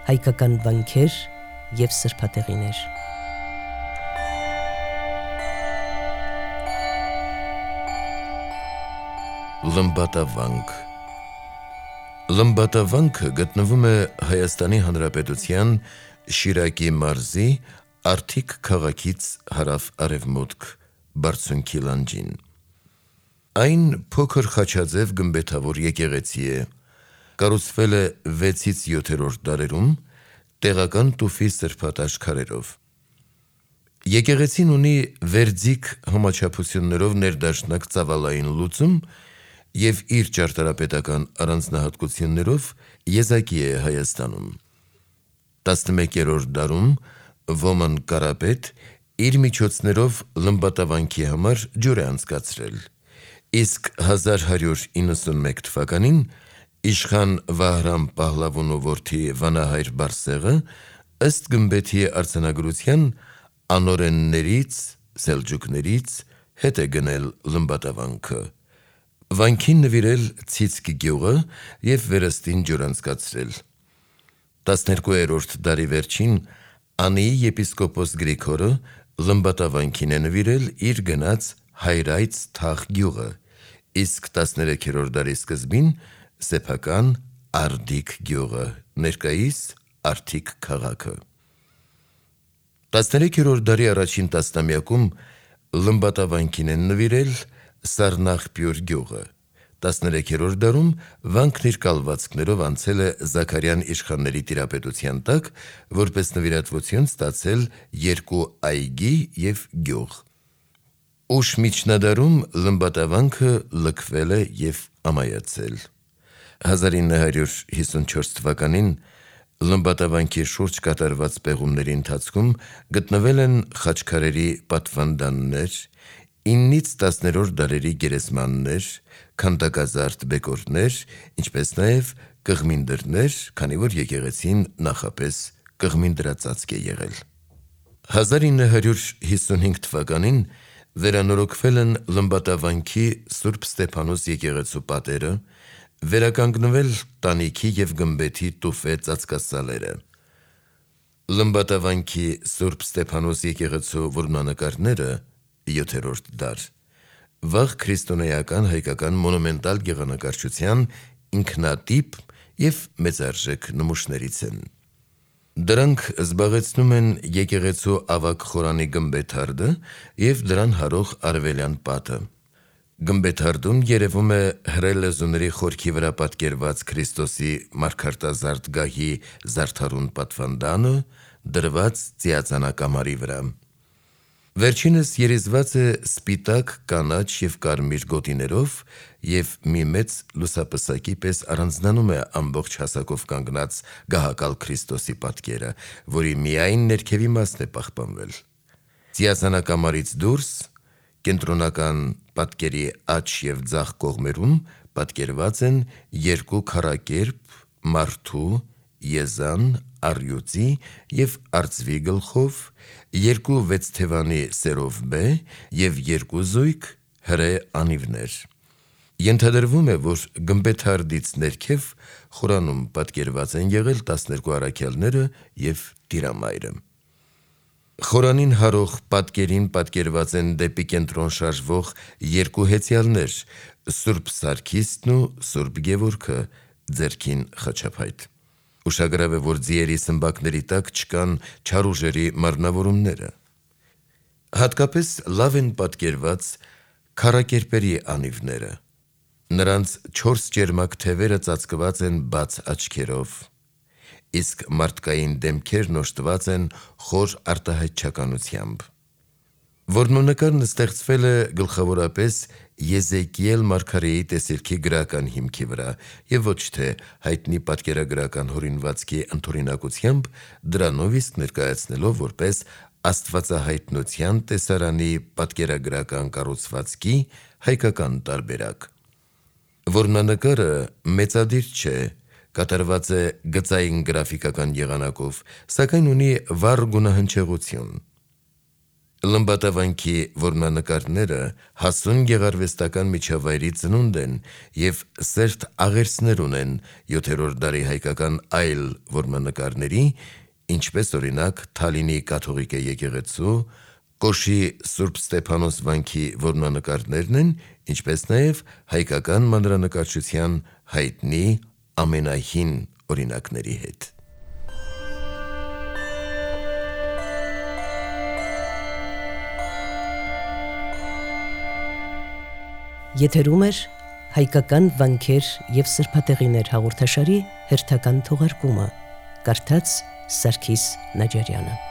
հայկական վանքեր և սրբատեղիներ։ Լմբատավանք Լմբատավանքը գտնվում է Հայաստանի Հանրապետության Շիրակի մարզի Արթիկ քաղաքից հարավ-արևմուտք բարձունքի լանջին։ Այն փոքր խաչաձև գմբեթավոր եկեղեցի է, կառուցվել է 6-7-րդ դարերում տեղական տուֆի սրբատաշ քարերով։ Եկեղեցին ունի վերձիգ համաչափություններով ներդաշնակ ծավալային լուծում և իր ճարտարապետական առանձնահատկություններով եզակի է Հայաստանում։ 11-րդ դարում Ոման Կարապետ իր միջոցներով լմբատավանքի համար ջուր է անցկացրել, իսկ 1191 թվականին իշխան Վահրամ Պահլավոնու որդի վանահայր Բարսեղը ըստ գմբեթի արձանագրության անօրեններից (սելջուկներից) հետ է գնել լմբատավանքը, վանքին նվիրել Ցիցկ գյուղը և վերստին ջուր անցկացրել։ 12-րդ դարի վերջին Անիի եպիսկոպոս Գրիգորը լմբատավանքին է նվիրել իր գնած Հայրայց Թաղ գյուղը, իսկ 13-րդ դարի սկզբին սեփական Արդիկ գյուղը, ներկայիս Արթիկ քաղաքը։ 13-րդ դարի առաջին տասնամյակում լմբատավանքին են նվիրել Սառնախպյուր գյուղը, 13-րդ դարում վանքն իր կալվածքներով անցել է Զաքարյան իշխանների տիրապետության տակ, որպես նվիրատվություն ստացել 2 այգի և գյուղ։ Ուշ միջնադարում լմբատավանքը լքվել է և ամայացել։ 1954 թվականին լմբատավանքի շուրջ կատարված պեղումների ընթացքում գտնվել են խաչքարերի պատվանդաններ, 9-ից 10-րդ դարերի գերեզմաններ, քանդակազարդ բեկորներ, ինչպես նաև կղմինդրներ, քանի որ եկեղեցին նախապես կղմինդրածածկ է եղել։ 1955 թվականին վերանորոգվել են լմբատավանքի Սուրբ Ստեփանոս եկեղեցու պատերը, վերականգնվել տանիքի և գմբեթի տուֆե ծածկասալերը։ Լմբատավանքի Սուրբ Ստեփանոս եկեղեցու որմնանկարները (7-րդ դար) վաղ քրիստոնեական հայկական մոնումենտալ գեղանկարչության ինքնատիպ և մեծարժեք նմուշներից են։ Դրանք զբաղեցնում են եկեղեցու ավագ խորանի գմբեթարդը և դրան հարող արևելյան պատը։ Գմբեթարդում երևում է հրե լեզուների խորքի վրա պատկերված Քրիստոսի մարգարտազարդ գահի զարդարուն պատվանդանը, դրված ծիածանակամարի վրա։ Վերջինս երիզված է սպիտակ, կանաչ և կարմիր գոտիներով և մի մեծ լուսապսակի պես առանձնանում է ամբողջ հասակով կանգնած գահակալ Քրիստոսի պատկերը, որի միայն ներքևի մասն է պահպանվել։ Ծիածանակամարից դուրս կենտրոնական պատկերի աջ և ձախ կողմերում պատկերված են 2 քառակերպ, մարդու, եզան, առյուծի և արծվի գլխով, 2 վեցթևանի սերով և 2 զույգ հրե անիվներ։ Ենթադրվում է, որ գմբեթարդից ներքև խորանում պատկերված են եղել 12 առաքյալները և Տիրամայրը։ Խորանին հարող պատկերին պատկերված են դեպի կենտրոն շարժվող 2 հեծյալներ՝ Սուրբ Սարգիսն ու Սուրբ Գևորգը, ձեռքին խաչափայտ։ Ուշագրավ է, որ ձիերի սմբակների տակ չկան չարուժերի մարմնավորումները։ Հատկապես լավ են պատկերված քառակերպերի անիվները։ Նրանց 4 ճերմակ թևերը ծածկված են բաց աչքերով, իսկ մարդկային դեմքերն օժտված են խոր արտահայտչականությամբ։ Որմնանկարն ստեղծվել է գլխավորապես Եզեկիել մարգարեի տեսիլքի գրական հիմքի վրա և ոչ թե հայտնի պատկերագրական հորինվածքի ընդօրինակությամբ, դրանով իսկ ներկայացնելով որպես աստվածահայտնության տեսարանի պատկերագրական կառուցվածքի հայկական տարբերակ։ Որմնանկարը մեծադիր չէ, կատարված է գծային գրաֆիկական եղանակով, սակայն ունի վառ գունահնչեղություն։ Լմբատավանքի որմնանկարները հասուն գեղարվեստական միջավայրի ծնունդ են և սերտ աղերսներ ունեն 7-րդ դարի հայկական այլ որմնանկարների, ինչպես օրինակ Թալինի կաթողիկ եկեղեցու, Կոշի Սուրբ Ստեփանոս վանքի որմնանկարներն են, ինչպես նաև հայկական մանրանկարչության հայտնի ամենահին օրինակների հետ։ Եթերում էր հայկական վանքեր և սրբատեղիներ հաղորդաշարի հերթական թողարկումը, կարդաց Սարգիս Նաջարյանը։